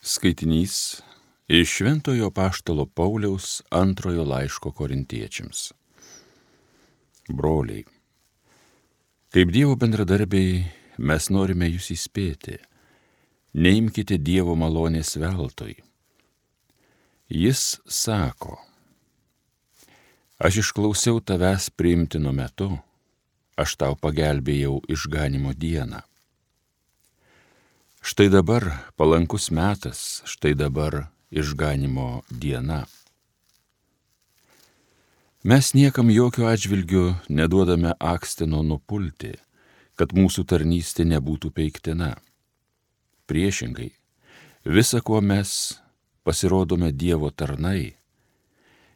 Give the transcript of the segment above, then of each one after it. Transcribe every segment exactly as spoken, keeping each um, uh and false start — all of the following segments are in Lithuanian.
Skaitinys iš Šventojo apaštalo Pauliaus antrojo laiško korintiečiams. Broliai, kaip Dievo bendradarbiai, mes norime jūs įspėti, neimkite Dievo malonės veltui. Jis sako, aš išklausiau tavęs priimtinu metu, aš tau pagelbėjau išganimo dieną. Štai dabar palankus metas, štai dabar išganimo diena. Mes niekam jokių atžvilgių neduodame akstino nupulti, kad mūsų tarnystė nebūtų peiktina. Priešingai, visa, kuo mes pasirodome Dievo tarnai,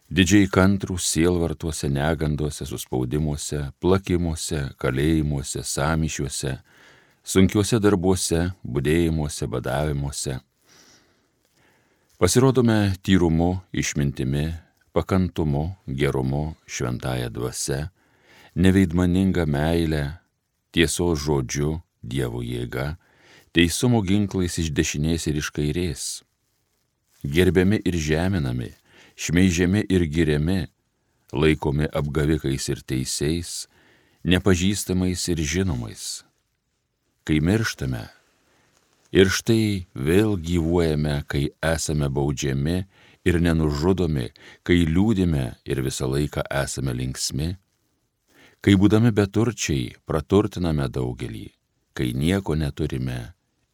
didžiai kantrūs sielvartuose, neganduose, suspaudimuose, plakimuose, kalėjimuose, sąmyšiuose, sunkiuose darbuose, budėjimuose, badavimuose. Pasirodome tyrumu, išmintimi, pakantumu, gerumu, šventąja dvasia, neveidmaninga meile, tiesos žodžiu, Dievo jėga, teisumo ginklais iš dešinės ir iš kairės, gerbiami ir žeminami, šmeižiami ir giriami, laikomi apgavikais ir teisiais, nepažįstamais ir žinomais. Kai mirštame ir štai vėl gyvuojame, kai esame baudžiami ir nenužudomi, kai liūdime ir visą laiką esame linksmi, kai būdami beturčiai praturtiname daugelį, kai nieko neturime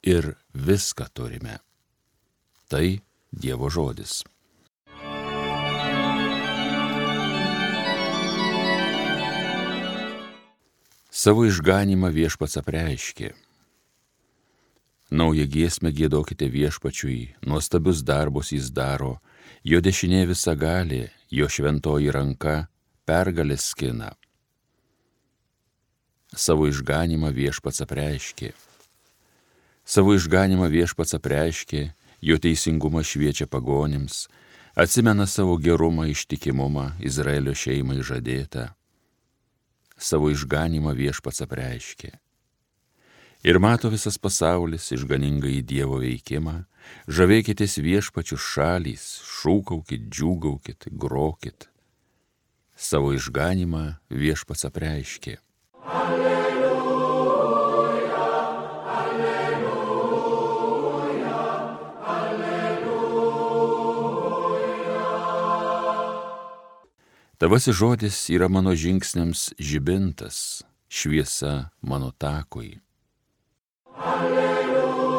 ir viską turime. Tai Dievo žodis. Savo išganymą viešpats apreiškė. Naują giesmę giedokite viešpačiui, nuostabius darbus jis daro, jo dešinė visagalė, jo šventoji ranka pergalės skina. Savo išganymą viešpats apreiškė. Savo išganymą viešpats apreiškė, jo teisingumą šviečia pagonims, atsimena savo gerumą, ištikimumą Izraelio šeimai žadėtą. Savo išganymą viešpats apreiškė. Ir mato visas pasaulis išganingą į Dievo veikimą, žavėkitės viešpačių šalys, šūkaukit, džiūgaukit, grokit. Savo išganymą viešpats apreiškė. Alleluja, alleluja, alleluja. Tavasis žodis yra mano žingsniams žibintas, šviesa mano takui. Alleluja,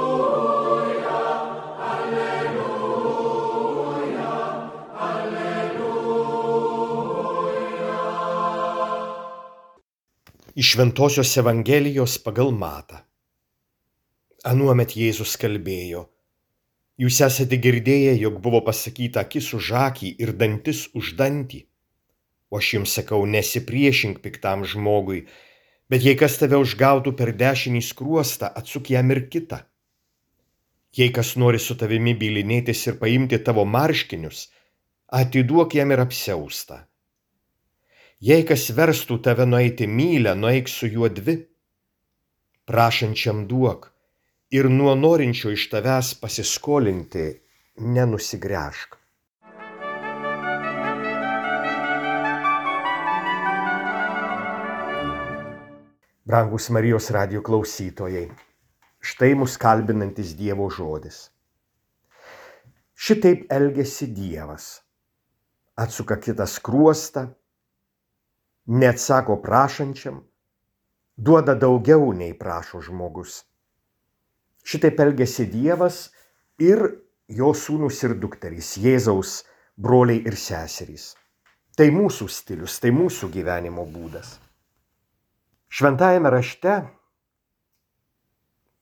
alleluja, alleluja. Iš Šventosios Evangelijos pagal Matą. Anuomet Jėzus kalbėjo, jūs esate girdėję, jog buvo pasakyta akis už akį ir dantis už dantį. O aš jums sakau, nesipriešink piktam žmogui, bet jei kas tave užgautų per dešinį skruostą, atsuk jam ir kitą. Jei kas nori su tavimi bylinėtis ir paimti tavo marškinius, atiduok jam ir apsiaustą. Jei kas verstų tave nueiti mylią, nueik su juo dvi. Prašančiam duok ir nuo norinčio iš tavęs pasiskolinti nenusigręžk. Brangus Marijos radijo klausytojai, štai mus kalbinantis Dievo žodis. Šitaip elgiasi Dievas. Atsuka kitą skruostą, neatsako prašančiam, duoda daugiau nei prašo žmogus. Šitaip elgiasi Dievas ir jo sūnus ir dukterys, Jėzaus broliai ir seserys. Tai mūsų stilius, tai mūsų gyvenimo būdas. Šventajame rašte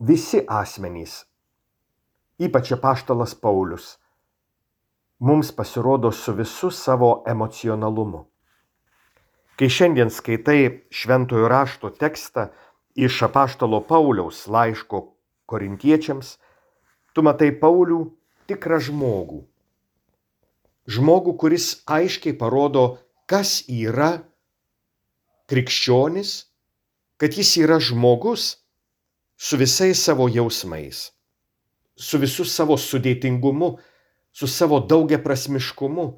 visi asmenys, ypač apaštalas Paulius, mums pasirodo su visu savo emocionalumu. Kai šiandien skaitai šventojo rašto tekstą iš apaštalo Pauliaus laiško korintiečiams, tu matai Paulių tikrą žmogų. Žmogų, kuris aiškiai parodo, kas yra krikščionis, kad jis yra žmogus su visais savo jausmais, su visu savo sudėtingumu, su savo daugiaprasmiškumu.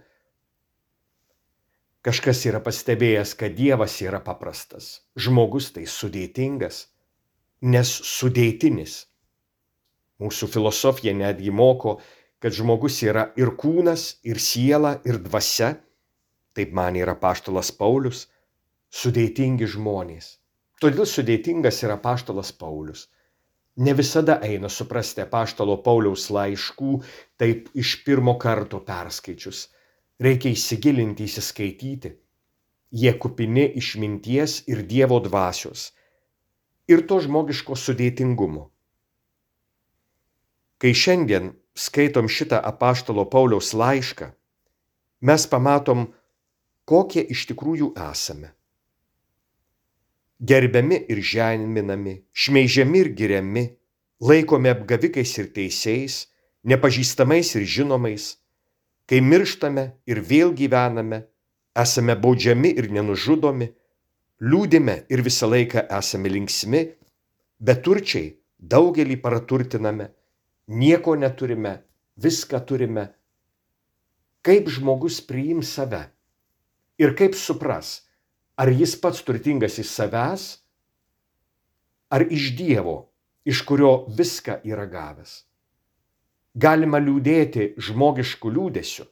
Kažkas yra pastebėjęs, kad Dievas yra paprastas, žmogus tai sudėtingas, nes sudėtinis. Mūsų filosofija netgi moko, kad žmogus yra ir kūnas, ir siela, ir dvasia, taip manė ir apaštalas Paulius, sudėtingi žmonės. Todėl sudėtingas yra apaštalas Paulius. Ne visada eina suprasti apaštalo Pauliaus laiškų taip iš pirmo karto perskaičius. Reikia įsigilinti, įsiskaityti. Jie kupini išminties ir Dievo dvasios ir to žmogiško sudėtingumo. Kai šiandien skaitom šitą apaštalo Pauliaus laišką, mes pamatom, kokie iš tikrųjų esame. Gerbiami ir žeminami, šmeižiami ir giriami, laikomi apgavikais ir teisėjais, nepažįstamais ir žinomais, kai mirštame ir vėl gyvename, esame baudžiami ir nenužudomi, liūdime ir visą laiką esame linksmi, beturčiai daugelį praturtiname, nieko neturime, viską turime. Kaip žmogus priims save ir kaip supras, ar jis pats turtingas iš savęs, ar iš Dievo, iš kurio viską yra gavęs. Galima liūdėti žmogiškų liūdesių,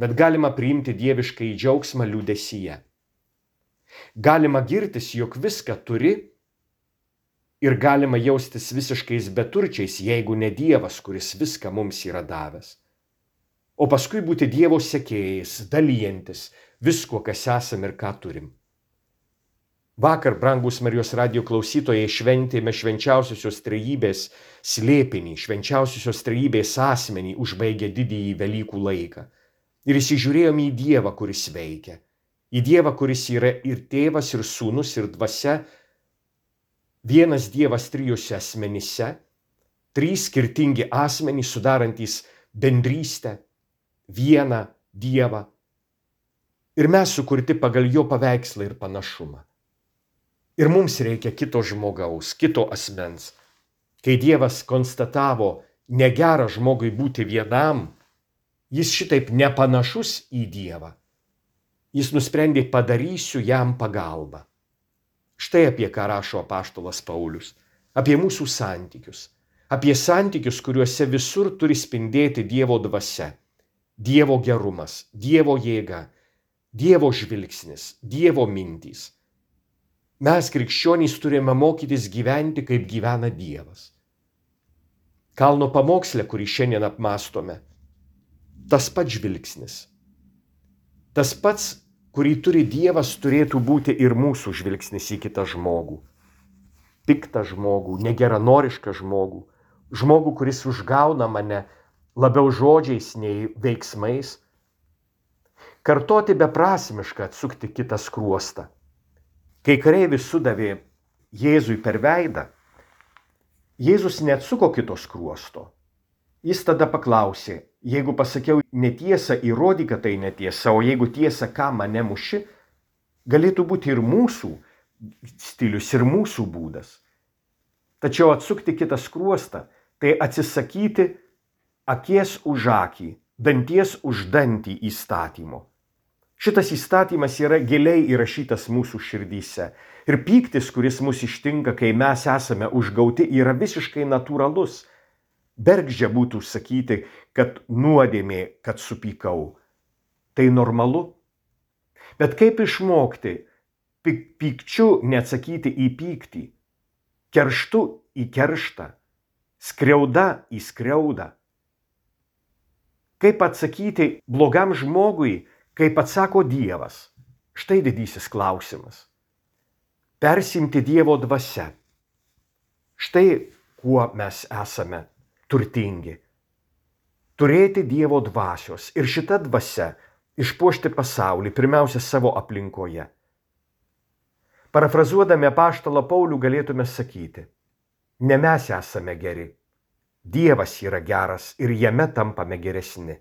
bet galima priimti dievišką į džiaugsmą liūdesyje. Galima girtis, jog viską turi ir galima jaustis visiškais beturčiais, jeigu ne Dievas, kuris viską mums yra davęs. O paskui būti Dievo sekėjais, dalyjantis visko, kas esam ir ką turim. Vakar, brangus Marijos radijo klausytojai, šventėme švenčiausiosios trejybės slėpinį, švenčiausiosios trejybės asmenį užbaigė didįjį Velykų laiką. Ir įsižiūrėjome į Dievą, kuris veikia. Į Dievą, kuris yra ir tėvas, ir sūnus, ir dvasia. Vienas Dievas trijose asmenyse, trys skirtingi asmenys sudarantys bendrystę, vieną Dievą. Ir mes sukurti pagal jo paveikslą ir panašumą. Ir mums reikia kito žmogaus, kito asmens. Kai Dievas konstatavo negera žmogui būti vienam, jis šitaip nepanašus į Dievą. Jis nusprendė padarysiu jam pagalbą. Štai apie ką rašo apaštalas Paulius. Apie mūsų santykius. Apie santykius, kuriuose visur turi spindėti Dievo dvasia, Dievo gerumas, Dievo jėga, Dievo žvilgsnis, Dievo mintys. Mes, krikščionys, turime mokytis gyventi, kaip gyvena Dievas. Kalno pamoksle, kurį šiandien apmąstome, tas pats žvilgsnis. Tas pats, kurį turi Dievas, turėtų būti ir mūsų žvilgsnis į kitą žmogų. Piktą žmogų, negeranorišką žmogų, žmogų, kuris užgauna mane labiau žodžiais nei veiksmais. Kartoti beprasmiška atsukti kitą skruostą. Kai kareivis sudavė Jėzui per veidą, Jėzus neatsuko kito skruosto. Jis tada paklausė, jeigu pasakiau netiesą, įrodyk, kad tai netiesa, o jeigu tiesa, ką mane muši, galėtų būti ir mūsų stilius, ir mūsų būdas. Tačiau atsukti kitą skruostą, tai atsisakyti akies už akį, danties už dantį įstatymo. Šitas įstatymas yra giliai įrašytas mūsų širdyse. Ir pyktis, kuris mus ištinka, kai mes esame užgauti, yra visiškai natūralus. Bergždžia būtų sakyti, kad nuodėmė, kad supykau. Tai normalu. Bet kaip išmokti pykčiu neatsakyti į pyktį, kerštu į kerštą, skriauda į skriaudą? Kaip atsakyti blogam žmogui, kaip atsako Dievas? Štai didysis klausimas. Persimti Dievo dvasia. Štai kuo mes esame turtingi. Turėti Dievo dvasios ir šita dvasia išpuošti pasaulį, pirmiausia savo aplinkoje. Parafrazuodami apaštalą Paulių galėtume sakyti, ne mes esame geri, Dievas yra geras ir jame tampame geresni.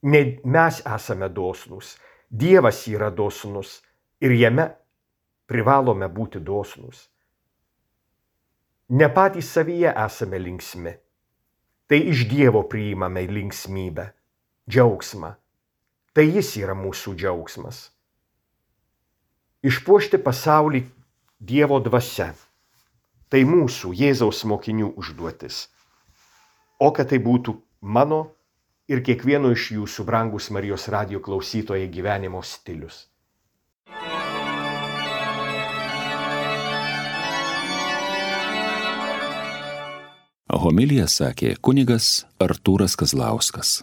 Ne mes esame dosnūs, Dievas yra dosnus ir jame privalome būti dosnūs. Ne patys savyje esame linksmi, tai iš Dievo priimame linksmybę, džiaugsmą. Tai jis yra mūsų džiaugsmas. Išpuošti pasaulį Dievo dvasia. Tai mūsų Jėzaus mokinių užduotis. O kad tai būtų mano ir kiekvieno iš jūsų, brangus Marijos radijo klausytojai, gyvenimo stilius. Homiliją sakė kunigas Artūras Kazlauskas.